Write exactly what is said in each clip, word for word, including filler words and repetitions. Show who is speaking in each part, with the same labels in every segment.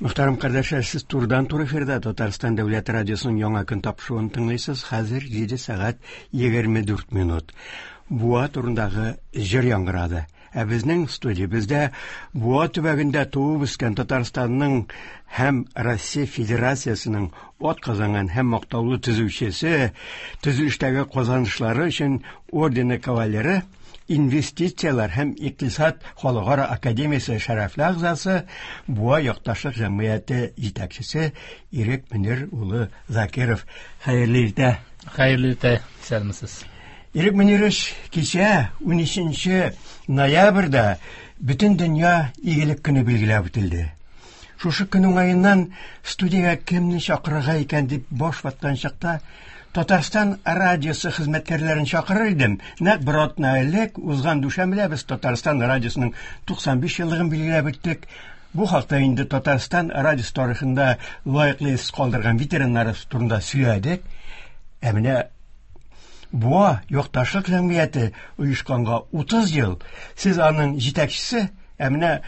Speaker 1: Мөхтәрәм кардәшләр, сез турыдан-туры эфирда Татарстан Дәүләт радиосының яңа көн тапшыруын тыңлыйсыз. Хәзер җиде сәгать егерме дүрт минут. Буа турындагы җыр яңгырады. Ә безнең студиябездә Буа төбәгендә туып үскән Татарстанның һәм Россия Федерациясенең ат казанган һәм мактаулы төзүчесе, төзелештәге казанышлары өчен ордены кавалеры, инвестицияләр һәм икътисад халыкара академиясе шәрәфле әгъзасы, Буа якташлык җәмгыяте җитәкчесе Ирек Мөнир улы Закиров. Хәерле иртә.
Speaker 2: Хәерле иртә, исәнмесез.
Speaker 1: Ирек Мөнирович, кичә унөченче ноябрьдә бөтен дөнья игелек көне билгеләп үтелде. Шушы көн уңаеннан студиягә кемне чакырырга икән дип баш ваткан чакта Татарстан радиосы хезмәткәрләрен чакырыр идем. Нәкъ бер атна элек узган дүшәмбедә без Татарстан радиосының туксан биш еллыгын билгеләп үттек. Бу хакта инде Татарстан радиосы тарихында лаеклы эз калдырган ветераннар турында сөйләдек. Ә менә Буа якташлык җәмгыяте оешканга утыз ел. Сез аның җитәкчесе, ә менә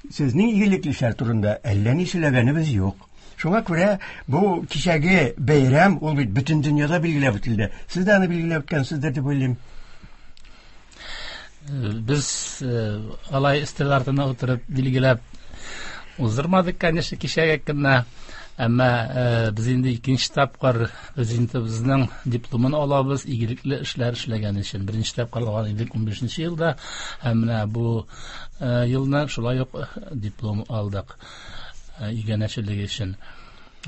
Speaker 1: сезнең игелекле эшләр турында әллә ни сөйләгәнебез юк. Шуңа күрә бу кичәге бәйрәм ул бит бөтен дөньяда билгеләп үтелде. Сез дә аны билгеләп үткәнсездер дип уйлыйм.
Speaker 2: Без алай өстәл артына утырып билгеләп уздырмадык, конечно, кичәге көнне. Әмма без инде икенче тапкыр президентыбызның дипломын алабыз игелекле эшләр эшләгән өчен. Беренче тапкыр алган идек унбишенче елда, һәм менә бу елны шулай ук диплом алдык иганәчелеге өчен.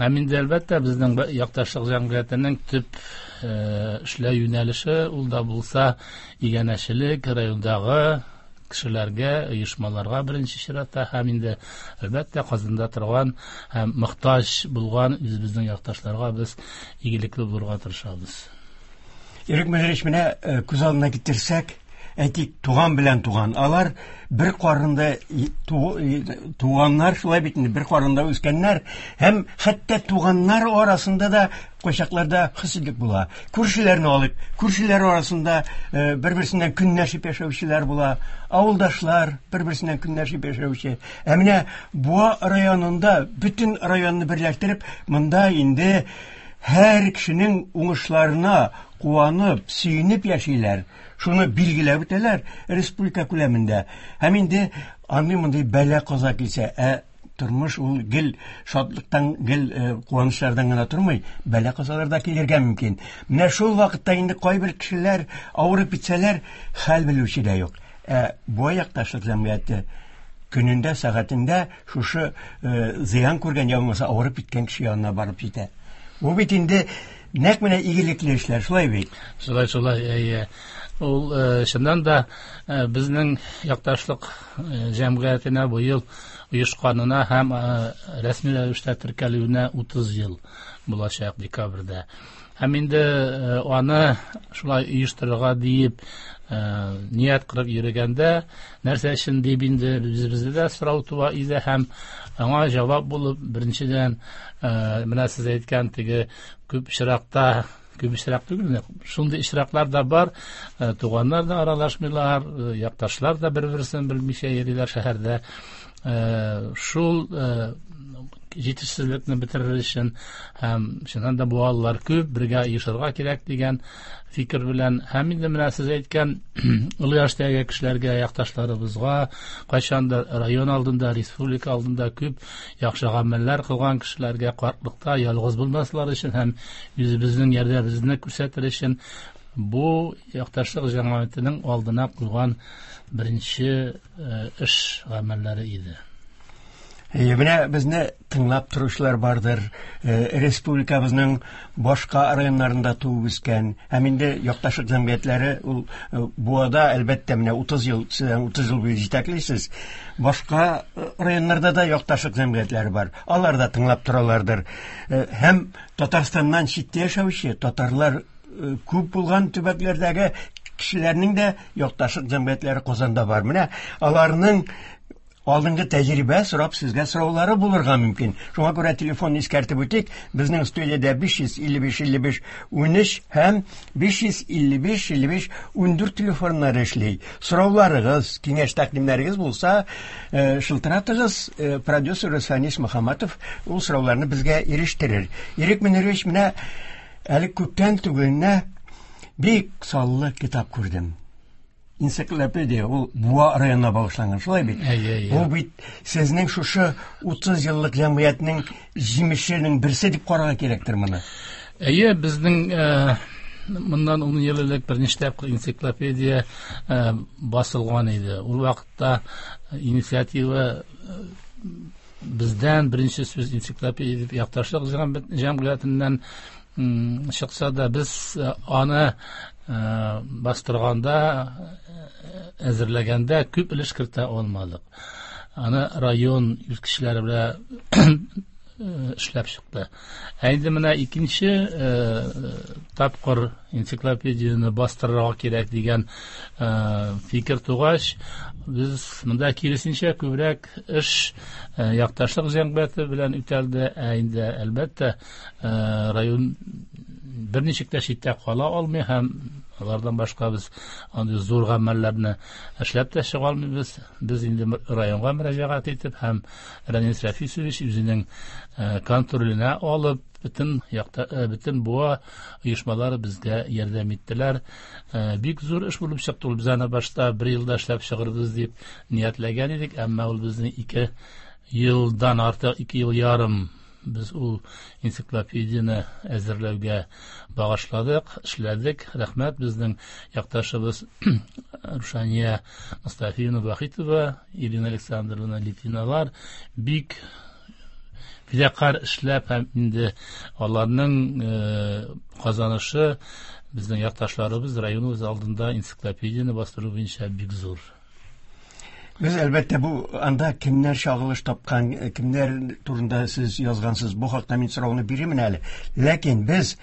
Speaker 2: Һәм инде әлбәттә безнең якташлык җәмгыятенең төп эшләү юнәлеше ул да булса иганәчелек, райондагы кешеләргә, оешмаларга беренче чиратта һәм инде әлбәттә Казанда торган һәм мохтаҗ булган үзебезнең якташларга без игелекле булырга тырышабыз.
Speaker 1: Ирек Мөнирович, менә күз алдына китерсәк, әйтик, туган белән туган. Алар бер карында туганнар, шулай бит инде, бер карында үскәннәр һәм хәтта туганнар арасында да кайчакларда хөсетлек була. Күршеләрне алып, күршеләр арасында бер-берсеннән көнләшеп яшәүчеләр була, авылдашлар бер-берсеннән көнләшеп яшәүче. Ә менә Буа районында бөтен районны берләштереп, монда инде һәр кешенең уңышларына куанып, сөенеп яшиләр. Шуны билгеләп үтәләр республика күләмендә. Һәм инде андый мондый бәла каза килсә, ә тормыш ул гел шатлыктан, гел куанычлардан гына тормый, бәла казалар да килергә мөмкин. Менә шул вакытта инде кайбер кешеләр авырып китсәләр, хәл белүче дә юк. Ә Буа якташлык җәмгыяте көнендә, сәгатендә шушы зыян күргән я булмаса авырып киткән кеше янына барып җитә. Бу бит инде нәкъ менә игелекле эшләр, шулай бит?
Speaker 2: Шулай, шулай, әйе. Ул чыннан да безнең якташлык җәмгыятенә бу ел оешканына һәм рәсми рәвештә теркәлүенә утыз ел булачак декабрьдә. Һәм инде аны шулай оештырырга диеп ният кылып йөргәндә, нәрсә өчен дип инде үзебездә дә сорау туа иде һәм аңа җавап булып, беренчедән, менә сез әйткән теге күп очракта, күп очрак түгел, шундый очраклар да бар, туганнар да аралашмыйлар, якташлар да бер-берсен белмичә йөриләр шәһәрдә. Шул җитешсезлекне бетерер өчен һәм чыннан да буалылар күп, бергә оешырга кирәк дигән фикер белән һәм инде менә сез әйткән олы яшьтәге кешеләргә, якташларыбызга кайчандыр район алдында, республика алдында күп яхшы гамәлләр кылган кешеләргә картлыкта ялгыз булмаслар өчен һәм үзебезнең ярдәмебезне күрсәтер өчен бу якташлык җәмгыятенең алдына куйган беренче эш гамәлләре иде.
Speaker 1: Менә безне тыңлап торучылар бардыр. Республикабызның башка районнарында туып үскән һәм инде якташлык җәмгыятьләре ул Буада әлбәттә менә утыз ел, сездән утыз ел буе җитәклисез. Башка районнарда да якташлык җәмгыятьләре бар. Алар да тыңлап торалардыр. Һәм Татарстаннан читтә яшәүче татарлар күп булган төбәкләрдәге кешеләрнең дә якташлык җәмгыятьләре Казанда бар. Менә аларның алдынгы тәҗрибә сорап сезгә сораулары булырга мөмкин. Шуңа күрә телефонны искәртеп үтик. Безнең студиядә биш йөз илле биш илле биш унөч һәм биш йөз илле биш илле биш ундүрт телефоннары эшли. Сорауларыгыз, киңәш тәкъдимнәрегез булса, шылтыратыгыз. Продюсер Санис Мөхәммәтов ул сорауларны безгә ирештерер. Ирек Мөнирович, менә әле күптән түгел генә бик саллы китап күрдем. Энциклопедия, ул Буа районына багышланган, шулай бит?
Speaker 2: Әйе, әйе.
Speaker 1: Бу бит сезнең шушы утыз еллык җәмгыятьнең җимешенең берсе дип карарга кирәктер моны.
Speaker 2: Әйе, безнең моннан ун ел элек берничә тапкыр энциклопедия басылган иде. Ул вакытта инициатива бездән беренче сүз энциклопедия дип якташлык җәмгыятеннән чыкса да, без аны бастырганда, әзерләгәндә күп өлеш кертә алмадык. Аны район үз кешеләре белән эшләп чыкты. Ә инде менә икенче тапкыр энциклопедияне бастырырга кирәк дигән фикер тугач, без монда киресенчә күбрәк эш якташлык җәмгыяте белән үтәлде. Ә инде әлбәттә район берничек тә читтә кала алмый һәм алардан башка без андый зур гамәлләрне эшләп тә чыга алмыйбыз. Без инде районга мөрәҗәгать итеп һәм Рәнис Рәфисович үзенең контроленә алып, бөтен якта, бөтен Буа оешмалары безгә ярдәм иттеләр. Бик зур эш булып чыкты ул. Без аны башта бер елда эшләп чыгарбыз дип ниятләгән идек, әмма ул безне ике елдан артык, ике ел ярым без ул энциклопедияне әзерләүгә багышладык, эшләдек. Рәхмәт безнең якташыбыз Рушания Мустафиевна Вахитова, Ирина Александровна Литвиналар бик фидакар эшләп һәм инде аларның казанышы безнең якташларыбыз районыбыз алдында энциклопедияне бастыру буенча бик зур.
Speaker 1: Без әлбәттә бу анда кемнәр чагылыш тапкан, кемнәр турында сез язгансыз, бу хакта мин сорауны бирермен әле. Ләкин без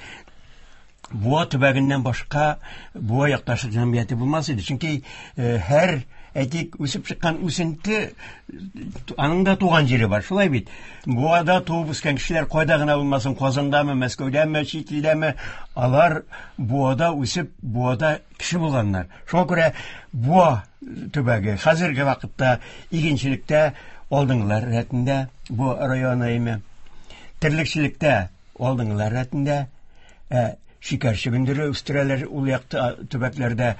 Speaker 1: Буа төбәгеннән башка Буа якташлык җәмгыяте булмас иде. Чөнки һәр, әйтик, үсеп чыккан үсенте аның да туган җире бар, шулай бит. Буада туып үскән кешеләр кайда гына булмасын, Казандамы, Мәскәүдәме, чит илдәме, алар Буада үсеп, Буада кеше булганнар. Шуңа күрә Буа төбәге хәзерге вакытта игенчелектә алдынгылар рәтендә, Буа районы име, терлекчелектә алдынгылар рәтендә, ә шикәр чөгендере үстерәләр ул якта төбәкләрдә.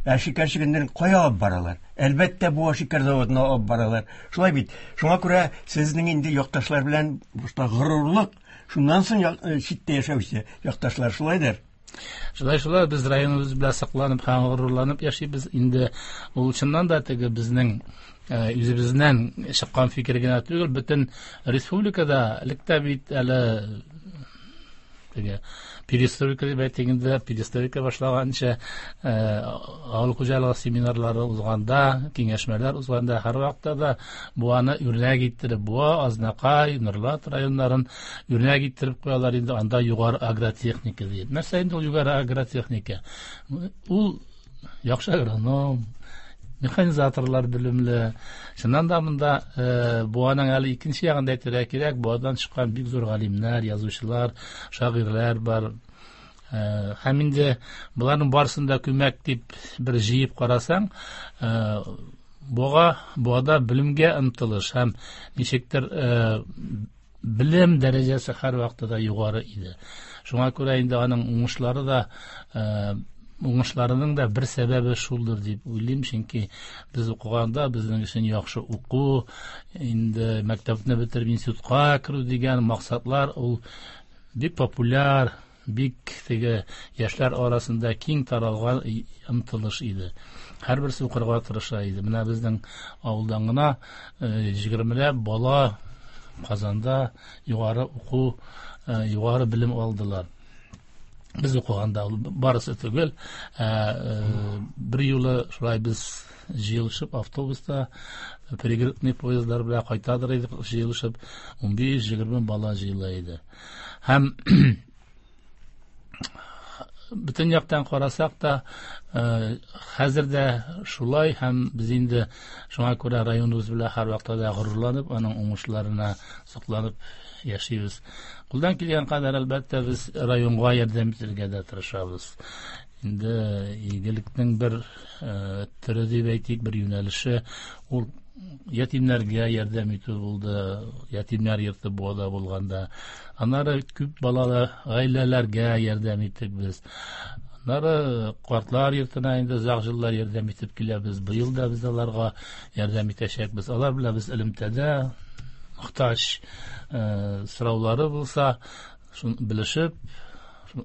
Speaker 1: Ә шикәр чөгендерен кая алып баралар? Әлбәттә, Буа шикәр заводына алып баралар. Шулай бит. Шуңа күрә сезнең инде якташлар белән башта горурлык, шуннан соң читтә яшәүче якташлар шулайдыр.
Speaker 2: Шулай, шулай, без районыбыз белән сакланып һәм горурланып яшибез. Инде ул чыннан да теге безнең үзебезнән чыккан фикер генә түгел, бөтен республикада элек тә бит әле Теге перестройка дип әйтик инде, перестройка башлаганча авыл хуҗалыгы семинарлары узганда, киңәшмәләр узганда һәрвакытта да Буаны үрнәк иттереп, Буа, Азнакай, Нурлат районнарын үрнәк иттереп куялар инде, анда югары агротехника дип. Нәрсә инде ул югары агротехника? Ул яхшы агроном, механизаторлар белемле. Чыннан да монда Буаның әле икенче ягында әйтергә кирәк, Буадан чыккан бик зур галимнәр, язучылар, шагыйрьләр бар. Һәм инде боларның барысын да күмәк дип бер җыеп карасаң, Буага, Буада белемгә омтылыш һәм ничектер белем дәрәҗәсе һәрвакытта да югары иде. Шуңа күрә инде аның уңышлары да, уңышларының да бер сәбәбе шулдыр дип уйлыйм, чөнки без укыганда безнең өчен яхшы уку, инде мәктәпне бетереп институтка керү дигән максатлар ул бик популяр, бик теге яшьләр арасында киң таралган омтылыш иде. Һәрберсе укырга тырыша иде. Менә безнең авылдан гына егермеләп бала Казанда югары уку, югары белем алдылар. Без укыганда ул барысы түгел, бер юлы шулай без җыелышып автобуста пригородный поездлар белән кайтадыр идек, җыелышып унбиш-егерме бала җыела иде. Һәм бөтен яктан карасак та, хәзер дә шулай, һәм без инде шуңа күрә районыбыз белән һәрвакытта да горурланып, аның уңышларына сокланып яшибез. Кулдан килгән кадәр әлбәттә без районга ярдәм итәргә дә тырышабыз. Инде игелекнең бер төре дип әйтик, бер юнәлеше ул ятимнәргә ярдәм итү булды. Ятимнәр йорты Буада булганда. Аннары күп балалы гаиләләргә ярдәм иттек без. Аннары картлар йортына инде озак еллар ярдәм итеп киләбез. Быел да без аларга ярдәм итәчәкбез. Алар белән без элемтәдә, мохтаҗ сораулары булса, шуны белешеп,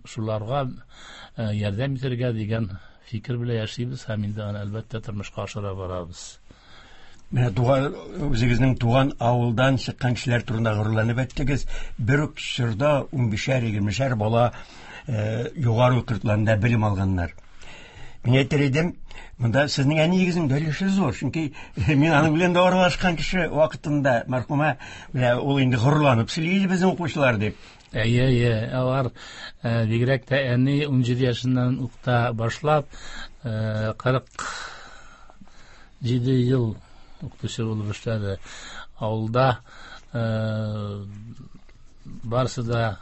Speaker 2: шуларга ярдәм итәргә дигән фикер белән яшибез һәм инде аны әлбәттә тормышка ашыра барабыз.
Speaker 1: Менә туган, үзегезнең туган авылдан чыккан кешеләр турында горурланып әйттегез. Бер үк чорда унбишәр, егермешәр бала югары уку йортларында белем алганнар. Мин әйтер идем, монда сезнең әниегезнең дә өлеше зур, чөнки мин аның белән дә аралашкан кеше вакытында, мәрхүмә, менә ул инде горурланып сөйли иде безнең укучылар дип.
Speaker 2: Әйе, әйе, алар бигрәк тә әни унҗиде яшеннән ук та башлап, кырык җиде ел укытучы булып эшләде. Авылда барысы да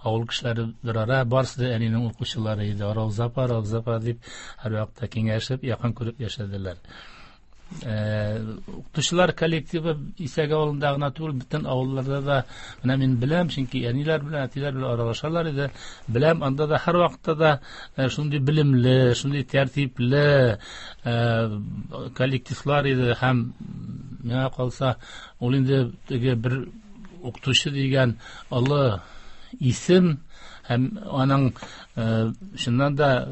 Speaker 2: авыл кешеләре бер ара, барысы да әнинең укучылары иде. Рауза апа, Рауза апа дип һәрвакытта киңәшеп, якын күреп яшәделәр. Укытучылар коллективы Исәк авылында гына түгел, бөтен авылларда да менә мин беләм, чөнки әниләр белән, әтиләр белән аралашалар иде. Беләм, анда да һәрвакытта да шундый белемле, шундый тәртипле коллективлар иде. Һәм миңа калса, ул инде теге бер укытучы дигән олы исем һәм аның чыннан да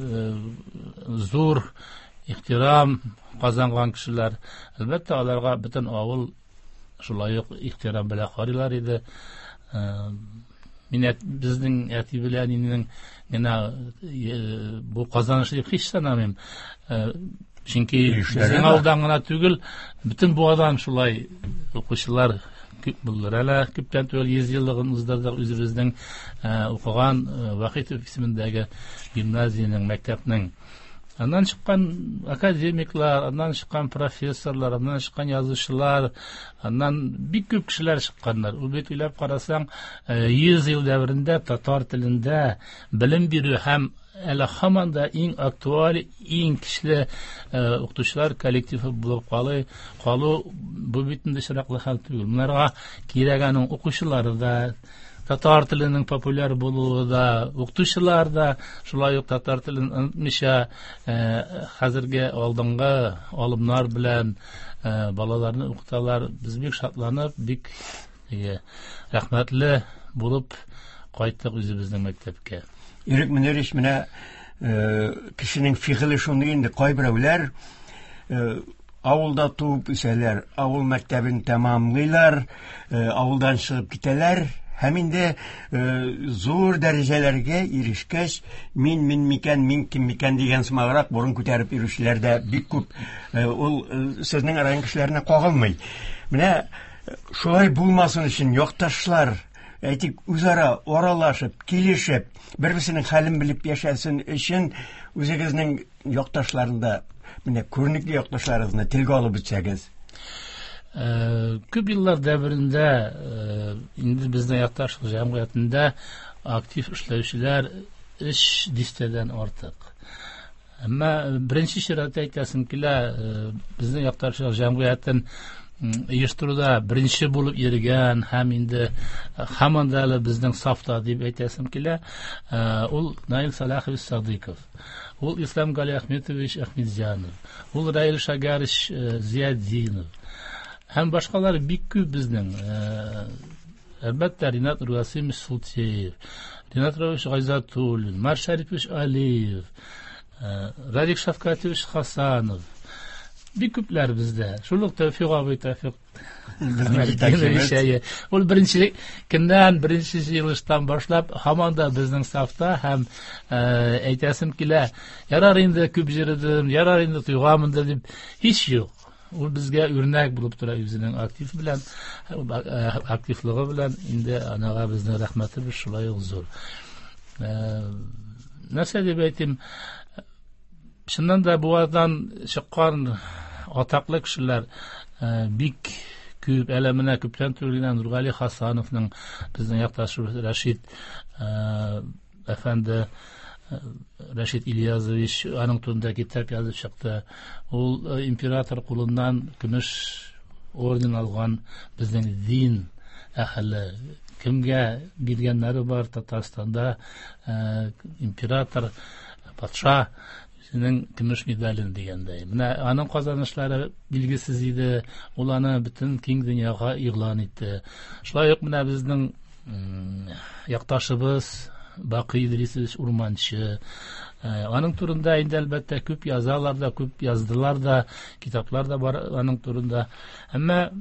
Speaker 2: зур ихтирам казанган кешеләр, әлбәттә, аларга бөтен авыл шулай ук ихтирам белән карыйлар иде. Мин безнең әти белән әнинең генә бу казанышы дип һич санамыйм. Чөнки безнең авылдан гына түгел, бөтен Буадан шулай укучылар күп булдылар. Әле күптән түгел йөз еллыгын уздырдык үзебезнең укыган Вахитов исемендәге гимназиянең, мәктәпнең. Аннан чыккан академиклар, аннан чыккан профессорлар, аннан чыккан язучылар, аннан бик күп кешеләр чыкканнар. Ул бит уйлап карасаң, йөз ел дәверендә татар телендә белем бирү һәм әле һаман да иң актуаль, иң көчле укытучылар коллективы булып калу, калу бу бит инде очраклы хәл түгел. Монарга кирәк аның укучылары да, татар теленең популяр булуы да, укытучылар да шулай ук татар телен онытмыйча, хәзерге алдынгы алымнар белән балаларны укыталар. Без бик шатланып, бик рәхмәтле булып кайттык үзебезнең мәктәпкә.
Speaker 1: Ирек Мөнирович, менә кешенең фигыле шундый инде, кайберәүләр авылда туып үсәләр, авыл мәктәбен тәмамлыйлар, авылдан чыгып китәләр Һәм инде зур дәрәҗәләргә ирешкәч, мин мин микән, мин кем микән дигән сымаграк борын күтәреп йөрүчеләр дә бик күп. Ул сезнең район кешеләренә кагылмый. Менә шулай булмасын өчен якташлар, әйтик, үзара аралашып, килешеп, бер-берсенең хәлен белеп яшәсен өчен үзегезнең якташларында, менә күренекле якташларыгызны телгә алып үтсәгез.
Speaker 2: Күп еллар дәверендә инде безнең якташлык җәмгыятендә актив эшләүчеләр өч дистәдән артык. Әмма беренче чиратта әйтәсем килә, безнең якташлык җәмгыятен оештыруда беренче булып йөргән һәм инде һаман да әле безнең сафта дип әйтәсем килә, ул Наил Салахович Садыков, ул Ислам Галиахметович Ахметзянов, ул Раил Шагарович Зиятдинов һәм башкалар бик күп безнең. Әлбәттә, Ринат Ргасимович Султеев, Ринат Равилович Гайзатуллин, Марс Шарипович Алиев, Радик Шавкатович Хасанов. Бик күпләр бездә. Шул ук Тәүфик абый, Тәүфик ул беренче көннән, беренче җыелыштан башлап һаман да безнең сафта һәм әйтәсем килә, ярар инде күп җырдым, ярар инде туйганмын дип һич юк. Ул безгә үрнәк булып тора үзенең актив белән, активлыгы белән. Инде анага безнең рәхмәтебез шулай ук зур. Нәрсә дип әйтим, чыннан да Буадан чыккан атаклы кешеләр бик күп. Әле менә күптән түгел генә Нургали Хасановның, безнең якташыбыз Рәшит әфәнде, Рәшит Ильязович аның турында китап язып чыкты. Ул император кулыннан көмеш орден алган безнең дин әһеле. Кемгә биргәннәре бар Татарстанда император, патша үзенең көмеш медален дигәндәй. Менә аның казанышлары билгесез иде. Ул аны бөтен киң дөньяга игълан итте. Шулай ук менә безнең якташыбыз Бакый Идрисович Урманчы. Аның турында инде әлбәттә күп язалар да, күп яздылар да, китаплар да бар аның турында. Әмма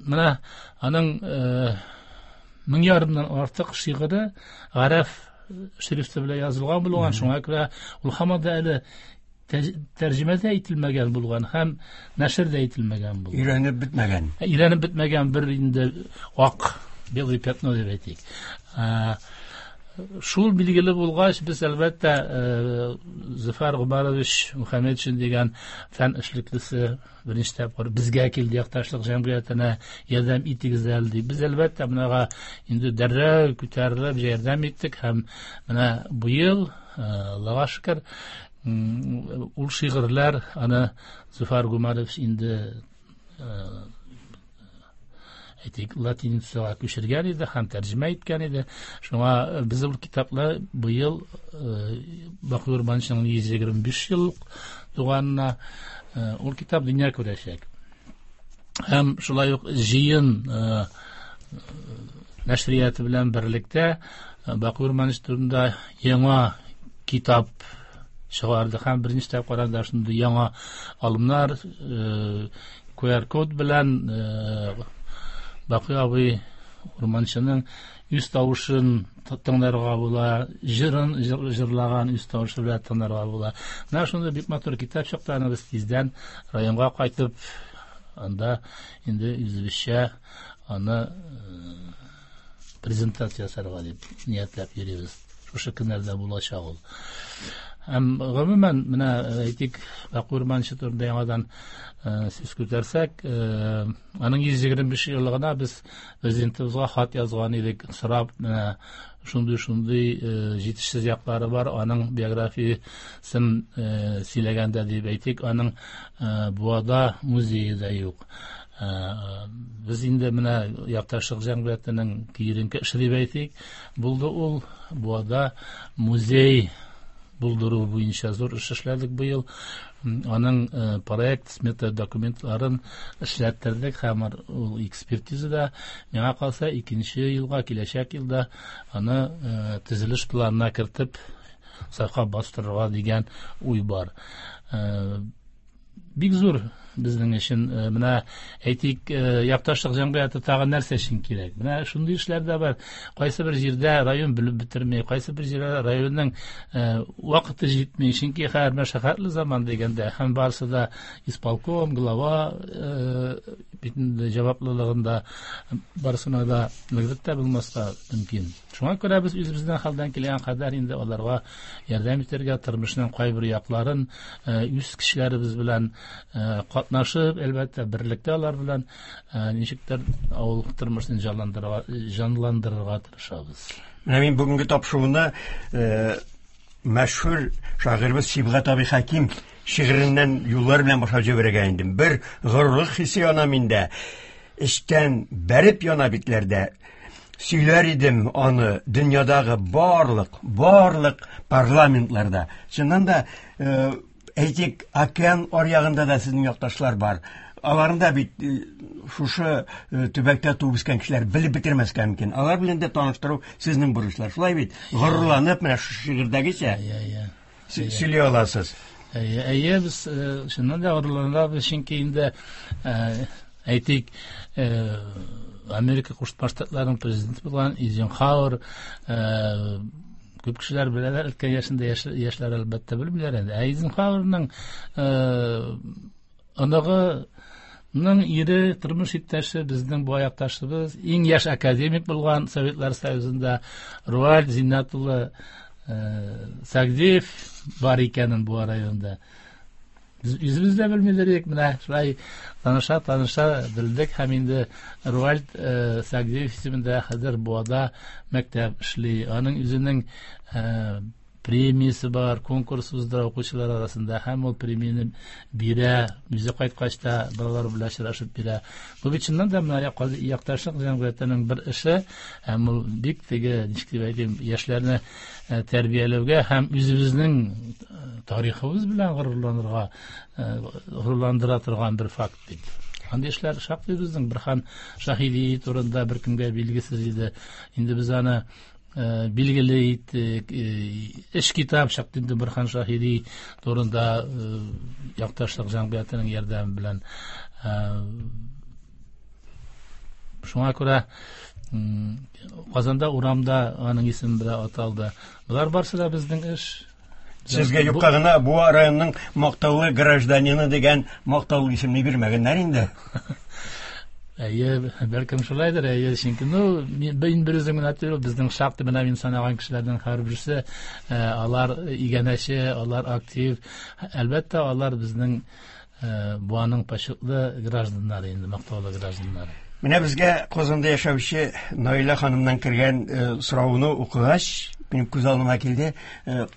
Speaker 2: менә аның мең ярымнан артык шигыре гарәф шрифты белән язылган булган, шуңа күрә ул һаман да әле тәрҗемә дә ителмәгән булган һәм нәшер дә ителмәгән булган.
Speaker 1: Өйрәнеп бетмәгән.
Speaker 2: Өйрәнеп бетмәгән бер инде ак, белый пятно дип әйтик. Шул билгеле булгач, без әлбәттә Зөфәр Гомәрович Мөхәммәтшин дигән фән эшлеклесе беренче тапкыр безгә килде, якташлык җәмгыятенә ярдәм итегез әле дип. Без әлбәттә монага инде дәррәү күтәрелеп ярдәм иттек һәм менә быел, Аллага шөкер, ул шигырьләр аны Зөфәр Гомәрович инде әйтик, латиницага күчергән иде һәм тәрҗемә иткән иде. Шуңа без ул китапны быел Бакый Урманчының йөз егерме биш еллык туганына ул китап дөнья күрәчәк. Һәм шулай ук җыен нәшрияты белән берлектә Бакый Урманчы турында яңа китап чыгарды һәм беренче тапкыр анда шундый яңа алымнар, ку ар код белән Бакый абый Урманчының үз тавышын тыңларга була, җырын җырлаган үз тавышы белән тыңларга була. Менә шундый бик матур китап чыкты, аны без тиздән районга кайтып, анда инде үзебезчә аны презентация ясарга дип ниятләп йөрибез. Шушы көннәрдә булачак ул. Һәм гомумән, менә әйтик, Бакый Урманчы турында яңадан сүз күтәрсәк, аның йөз егерме биш еллыгына без президентыбызга хат язган идек, сорап, менә шундый-шундый җитешсез яклары бар, аның биографиясен сөйләгәндә дип әйтик, аның Буада музее да юк. Без инде менә якташлык җәмгыятенең киеренке эше дип әйтик, булды ул Буада музей булдыру буенча зур эш эшләдек быел. Аның проект, смета документларын эшләттердек һәм ул экспертизада миңа калса икенче елга, киләчәк елда аны төзелеш планына кертеп сафка бастырырга дигән уй бар. Бик зур, Безнең өчен менә әйтик, якташлык җәмгыяте тагын нәрсә өчен кирәк? Менә шундый эшләр дә бар. Кайсы бер җирдә район белеп бетерми, кайсы бер җирдә районның вакыты җитми, чөнки һәр мәшәкатьле заман дигәндә һәм барысы да исполком, глава бит инде җаваплылыгында барысына да әлбәттә булмаска мөмкин. Шуңа күрә без үзебезнең хәлдән килгән кадәр инде аларга ярдәм итәргә, тормышның кайбер якларын үз кешеләребез белән катнашып, әлбәттә, берлектә алар белән ничектер авыл тормышын җанландырырга, җанландырырга тырышабыз.
Speaker 1: Менә мин бүгенге тапшыруны мәшһүр шагыйребез Сибгат абый Хәким шигыреннән юллар белән башлап җибәрергә индем. Бер горурлык хисе яна миндә, эчтән бәреп яна битләрдә. Сөйләр идем аны дөньядагы барлык, барлык парламентларда. Чыннан да, әйтик, океан аръягында да сезнең якташлар бар. Аларны да бит шушы төбәктә туып үскән кешеләр белеп бетермәскә мөмкин. Алар белән дә таныштыру сезнең бурычлар. Шулай бит? Горурланып менә шушы шигырьдәгечә сөйли аласыз.
Speaker 2: Әйе, әйе, без чыннан да горурланабыз, чөнки инде әйтик, Америка Кушма Штатларының президенты булган Эйзенхауэр, күп кешеләр беләләр, өлкән яшендә яшьләр әлбәттә белмиләр инде. Эйзенхауэрның оныгының ире, тормыш иптәше, безнең бу якташыбыз, иң яшь академик булган Советлар Союзында Руаль Зиннәт улы Сагдиев бар икәнен бу районда. Без үзебез дә белмиләр, менә шулай таныша таныша белдек һәм инде Руальд Сагдиев исемендә хәзер Буада мәктәп эшли. Аның үзенең премиясе бар, конкурс уздыра укучылар арасында һәм ул премияне бирә, үзе кайткач та балалар белән очрашып бирә. Бу бит чыннан да менә якташлык җәмгыятенең бер эше, һәм ул бик теге, ничек дип әйтим, яшьләрне тәрбияләүгә һәм үзебезнең тарихыбыз белән горурланырга, горурландыра торган бер факт бит. Андый эшләр шактый безнең. Борһан Шаһиди турында беркемгә билгесез иде. Инде без аны билгеле иттек. Эш китап чыкты инде Борһан Шаһиди турында якташлык җәмгыятенең ярдәме белән. Шуңа күрә Казанда урамда аның исеме белән аталды. Болар барысы да безнең эш.
Speaker 1: Сезгә юкка гына Буа районының мактаулы гражданины дигән мактаулы исемне бирмәгәннәр инде.
Speaker 2: Әйе, бәлкем шулайдыр, әйе, чөнки, ну, мин бер үзем генә түгел, безнең шактый менә мин санаган кешеләрнең һәрберсе, алар иганәче, алар актив. Әлбәттә, алар безнең Буаның почетлы гражданнары инде, мактаулы гражданнары.
Speaker 1: Менә безгә Казанда яшәүче Наилә ханымнан кергән сорауны укыгач, минем күз алдыма килде.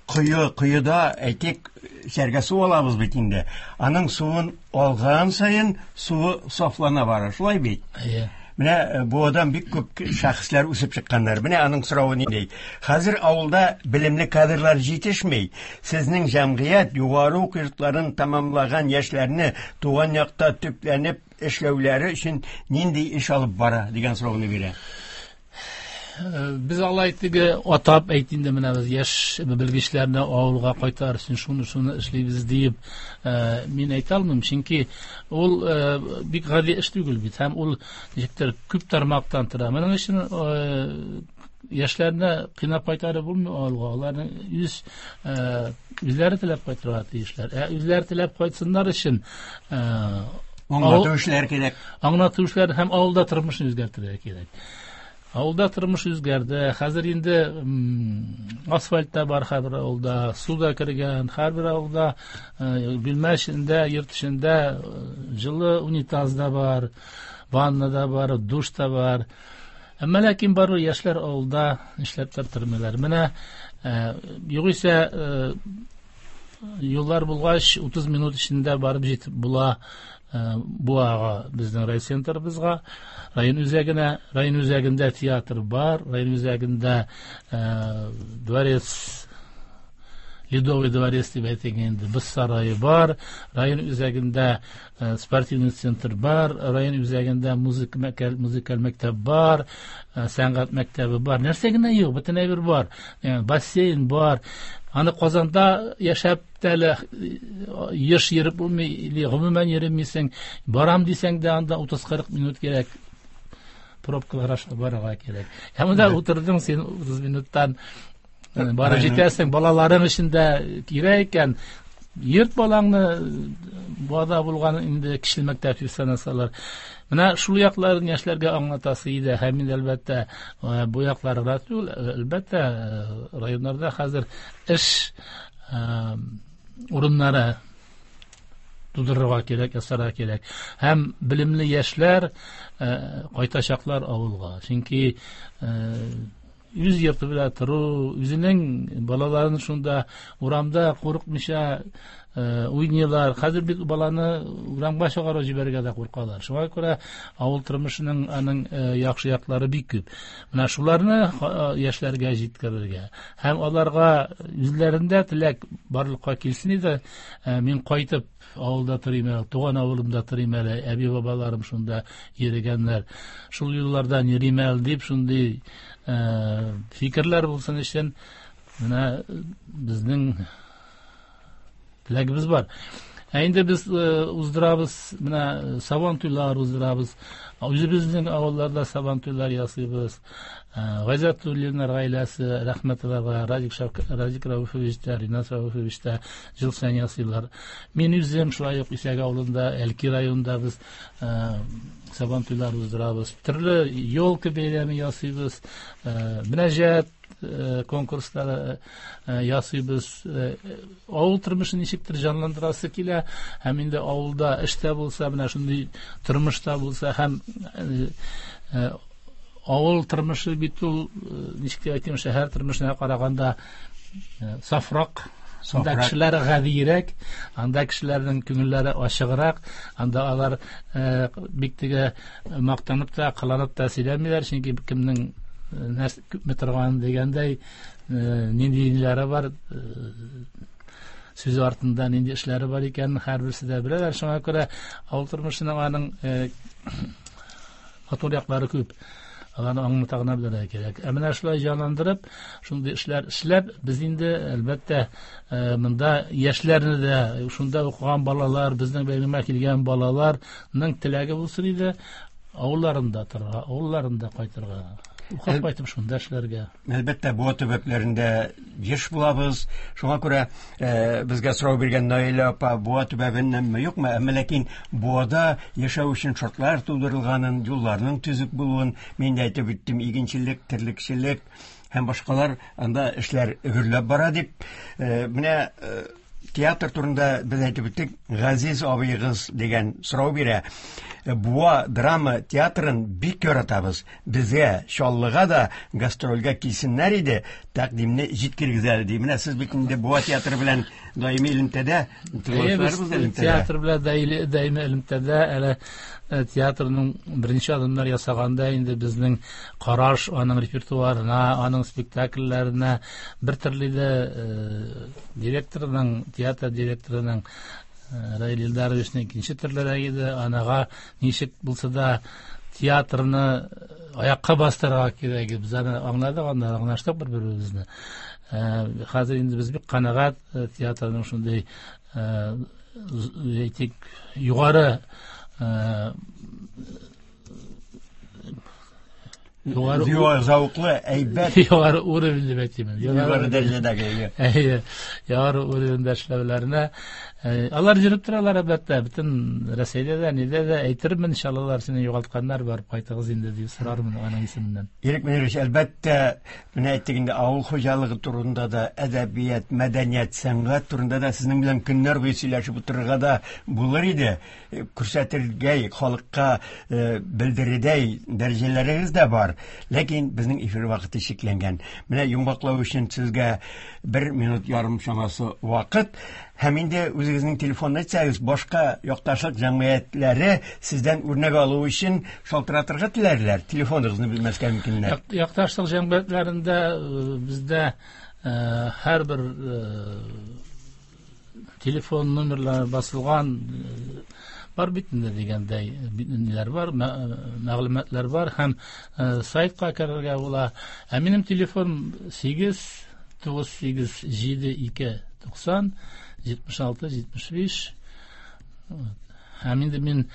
Speaker 1: Кое, коеда, әйтик, эчәргә су алабыз бит инде. Аның суын алган саен суы сафлана бара, шулай бит?
Speaker 2: Әйе.
Speaker 1: Менә Буадан бик күп шәхесләр үсеп чыкканнар. Менә аның соравы нинди? Хәзер авылда белемле кадрлар җитешми. Сезнең җәмгыять югары уку йортларын тәмамлаган яшьләрне туган якта төпләнеп эшләүләре өчен нинди эш алып бара дигән сорауны бирә.
Speaker 2: Без алай теге атап әйт инде, менә без яшь белгечләрне авылга кайтар өчен шуны шуны эшлибез диеп мин әйтә алмыйм, чөнки ул бик гади эш түгел бит, һәм ул ничектер күп тармактан тора. Моның өчен яшьләрне кыйнап кайтарып булмый авылга, аларның үз үзләре теләп кайтырга тиешләр. Ә үзләре теләп кайтсыннар өчен
Speaker 1: аңлату эшләр кирәк.
Speaker 2: Аңлату эшләр һәм авылда тормышны үзгәртергә кирәк. Авылда тормыш үзгәрде. Хәзер инде асфальт та бар һәрбер авылда, су да кергән, һәрбер авылда бүлмә эчендә, йорт эчендә җылы унитаз да бар, ванна да бар, душ та бар. Әмма ләкин барыбер яшьләр авылда эшләп тә тормыйлар. Менә югыйсә юллар булгач, утыз минут эчендә барып җитеп була Буага, безнең райцентрыбызга, район үзәгенә. Район үзәгендә театр бар, район үзәгендә дворец Ледовый дворец дип әйтик инде, боз сарае бар, район үзәгендә спортивный центр бар, район үзәгендә музыка музыкаль мәктәп бар, сәнгать мәктәбе бар. Нәрсә генә юк, бөтен әйбер бар. Бассейн бар. Аны Казанда яшәп тә әле еш йөреп булмый, или гомумән йөрмисең. Барам дисәң дә анда утыз-кырык минут кирәк. Пробкалар аша барырга кирәк. Ә монда утырдың син утыз минуттан барып җитәсең, балаларың өчен дә кирәк икән. Йөрт балаңны, бада булган инде кече мәктәп дип санасалар. Менә шул якларын яшьләргә аңлатасы иде. Һәм инде әлбәттә бу якларга түгел, әлбәттә районнарда хәзер эш урыннары тудырырга кирәк, ясарга кирәк. Һәм белемле яшьләр кайтачаклар авылга. Чөнки үз йорты белән тору, үзенең балаларын шунда урамда курыкмыйча уйныйлар. Хәзер бит баланы урамга чыгарып җибәрергә дә куркалар. Шуңа күрә авыл тормышының аның яхшы яклары бик күп. Менә шуларны яшьләргә җиткерергә һәм аларга үзләрендә теләк барлыкка килсен иде. Мин кайтып авылда торыйм әле, туган авылымда торыйм әле, әби-бабаларым шунда йөргәннәр. Шул юллардан йөрим әле дип шундый фикерләр булсын өчен менә безнең теләгебез бар. Ә инде без уздырабыз, менә сабан туйлар уздырабыз. Үзебезнең авылларда сабан туйлар ясыйбыз. Гайзатуллиннар гаиләсе, рәхмәт аларга, Радик Шавк, Радик Рауфович та, Ринат Рауфович та ел саен ясыйлар. Мин үзем шулай ук Исәк авылында, Әлки районында без сабан туйлар уздырабыз. Төрле елка бәйрәме ясыйбыз, мөнәҗәт конкурслары ясыйбыз. Авыл тормышын ничектер җанландырасы килә, һәм инде авылда эштә булса, менә шундый тормышта булса, һәм авыл тормышы бит ул, ничек дип әйтим, шәһәр тормышына караганда сафрак. Анда кешеләр гадиерәк, анда кешеләрнең күңелләре ачыграк, анда алар бик теге мактанып та, кыланып та сөйләмиләр, чөнки кемнең нәрсә күпме торган дигәндәй, нинди ниләре бар, сүз артында нинди эшләре бар икәнен һәрберсе дә беләләр. Шуңа күрә авыл тормышының аның матур яклары күп. Аларны аңлата гына белергә кирәк. Ә менә шулай җанландырып, шундый эшләр эшләп, без инде әлбәттә монда яшьләрне дә, шунда укыган балалар, безнең бәйрәмгә килгән балаларның теләге булсын иде, авылларында торырга, авылларында кайтырга, укып кайтып шунда эшләргә.
Speaker 1: Әлбәттә, Буа төбәкләрендә еш булабыз. Шуңа күрә безгә сорау биргән Наилә апа Буа төбәгеннәнме, юкмы? Әмма ләкин Буада яшәү өчен шартлар тудырылганын, юлларның төзек булуын мин дә әйтеп үттем. Игенчелек, терлекчелек һәм башкалар, анда эшләр гөрләп бара дип. Менә театр турында без әйтеп үттек. Газиз абыегыз дигән сорау бирә. Буа драма театрын бик яратабыз. Безгә Чаллыга да гастрольгә килсеннәр иде, тәкъдимне җиткергез әле ди. Менә сез бит инде Буа театры белән даими элемтәдә, тыңлаучыларыбыз элемтәдә.
Speaker 2: Театр белән даими элемтәдә, әле театрның беренче адымнар ясаганда инде безнең караш аның репертуарына, аның спектакльләренә бер төрле дә директорның, театр директорының Раил Илдаровичның икенче төрлерәк иде. Анага ничек булса да театрны аякка бастырырга кирәк. Без аны аңладык, анда аңлаштык бер-беребезне. Хәзер инде без бик канәгать театрның шундый, әйтик, югары
Speaker 1: югары зәвыклы, әйбәт,
Speaker 2: югары уровень дип әйтим.
Speaker 1: Югары дәрәҗәдәге.
Speaker 2: Әйе, югары уровеньдә эшләүләренә алар йөреп торалар әлбәттә. Бөтен Рәсәйдә дә, нидә дә әйтермен, иншалла, сине югалтканнар, барып кайтыгыз инде дип сорармын аның исеменнән.
Speaker 1: Ирек Мөнирович, әлбәттә, менә әйттек инде, авыл хуҗалыгы турында да, әдәбият, мәдәният, сәнгать турында да сезнең белән көннәр буе сөйләшеп утырырга да булыр иде. Күрсәтергә, халыкка белдерердәй дәрәҗәләрегез дә бар. Ләкин безнең эфир вакыты чикләнгән. Менә йомгаклау өчен сезгә бер минут ярым чамасы вакыт. Һәм инде үзегезнең телефонны әйтсәгез, башка якташлык җәмгыятьләре сездән үрнәк алу өчен шалтыратырга теләрләр. Телефоныгызны белмәскә мөмкиннәр.
Speaker 2: Якташлык җәмгыятьләрендә бездә Һәрбер телефон номерлары басылган бар бит инде дигәндәй ниләр бар, мәгълүматлар бар һәм сайтка керергә була. Ә минем телефон сигез тугыз сигез җиде ике туксан җитмеш алты җитмеш биш. Һәм инде мин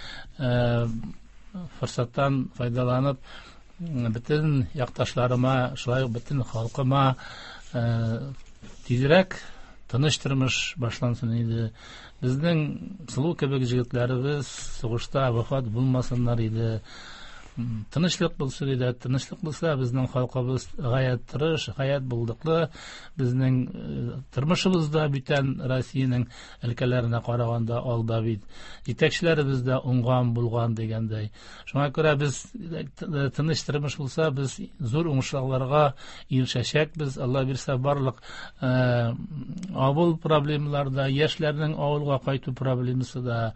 Speaker 2: форсаттан файдаланып бөтен якташларыма, шулай ук бөтен халкыма тизрәк тыныч тормыш башлансын иде. Безнең сылу кебек җегетләребез сугышта вафат булмасыннар иде. Тынычлык булсын иде. Тынычлык булса, безнең халкыбыз гаять тырыш, гаять булдыклы. Безнең тормышыбыз да бүтән Россиянең өлкәләренә караганда алда бит. Җитәкчеләребез дә уңган булган дигәндәй. Шуңа күрә без тыныч тормыш булса, без зур уңышларга ирешәчәкбез. Алла бирсә, барлык авыл проблемалары да, яшьләрнең авылга кайту проблемасы да,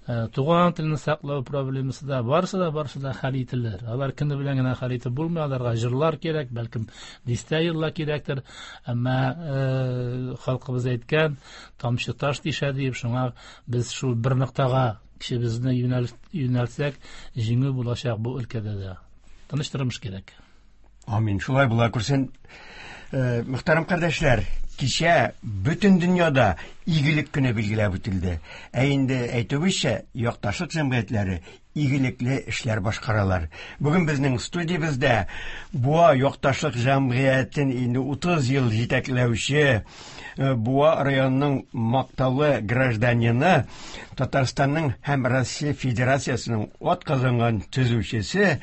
Speaker 2: туган телне саклау проблемасы да, барысы да, барысы да хәл ителер. Алар көне белән генә хәл итеп булмый, аларга җырлар кирәк, бәлкем дистә еллар кирәктер. Әмма халкыбыз әйткән, тамчы таш тишә дип, шуңа без шул бер ноктага кешебезне юнәлтсәк, җиңү булачак бу өлкәдә дә. Тыныч тормыш кирәк.
Speaker 1: Амин. Шулай була күрсен. Мөхтәрәм кардәшләр, кичә бөтен дөньяда игелек көне билгеләп үтелде. Ә инде әйтүебезчә, якташлык җәмгыятьләре игелекле эшләр башкаралар. Бүген безнең студиябездә Буа якташлык җәмгыятен инде утыз ел җитәкләүче Буа районының мактаулы гражданины, Татарстанның һәм Россия Федерациясенең атказанган төзүчесе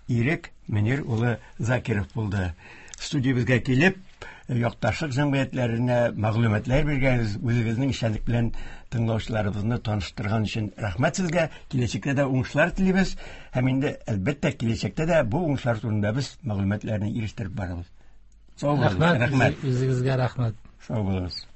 Speaker 1: Ирек Мөнир улы Закиров булды. Студиябезгә килеп, якташлык җәмгыятьләренә мәгълүматлар биргәнегез, үзегезнең эшчәнлек белән тыңлаучыларыбызны таныштырган өчен рәхмәт сезгә. Киләчәктә дә уңышлар телибез һәм инде әлбәттә киләчәктә дә бу уңышлар турында без мәгълүматларны ирештереп барабыз. Сау булыгыз.
Speaker 2: Рәхмәт. Үзегезгә рәхмәт.
Speaker 1: Сау булыгыз.